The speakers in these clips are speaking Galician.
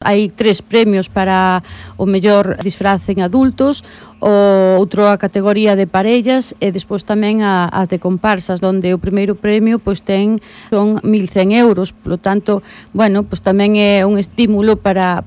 Hai 3 premios para o mellor disfraz en adultos, o outro a categoría de parellas e despois tamén a de comparsas, onde o primeiro premio pois son 1.100 euros, polo tanto, bueno, pois tamén é un estímulo para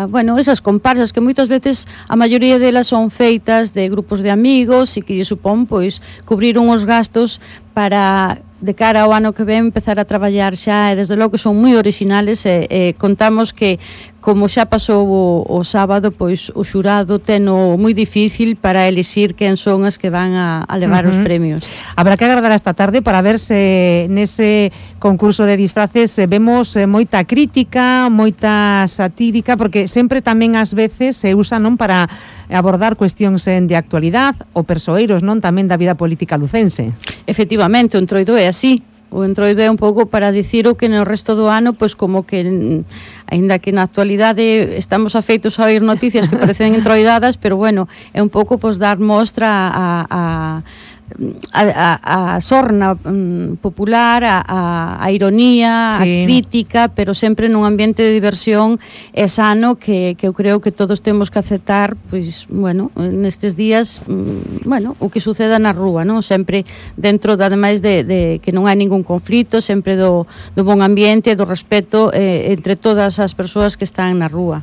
bueno, esas comparsas que moitas veces a maioría delas son feitas de grupos de amigos e que lle supón pois cubrir uns gastos para de cara ao ano que ven empezar a traballar xa, e desde logo que son moi originales e contamos que como xa pasou o sábado, pois o xurado teno moi difícil para elixir quen son as que van a levar os premios. Habrá que agardar esta tarde para ver se nese concurso de disfraces vemos moita crítica, moita satírica, porque sempre tamén ás veces se usa non para abordar cuestións de actualidade ou persoeiros non tamén da vida política lucense. Efectivamente, o entroido é así. O entroido é un pouco para dicir o que no resto do ano, pois como que, aínda que na actualidade estamos afeitos a oír noticias que parecen entroidadas, pero bueno, é un pouco pois dar mostra a sorna popular, a ironía, sí, a crítica, pero sempre nun ambiente de diversión e sano que eu creo que todos temos que aceptar, pois, bueno, nestes días, bueno, o que suceda na rúa, non? Sempre dentro, ademais de que non hai ningún conflito, sempre do bon ambiente, do respeto entre todas as persoas que están na rúa.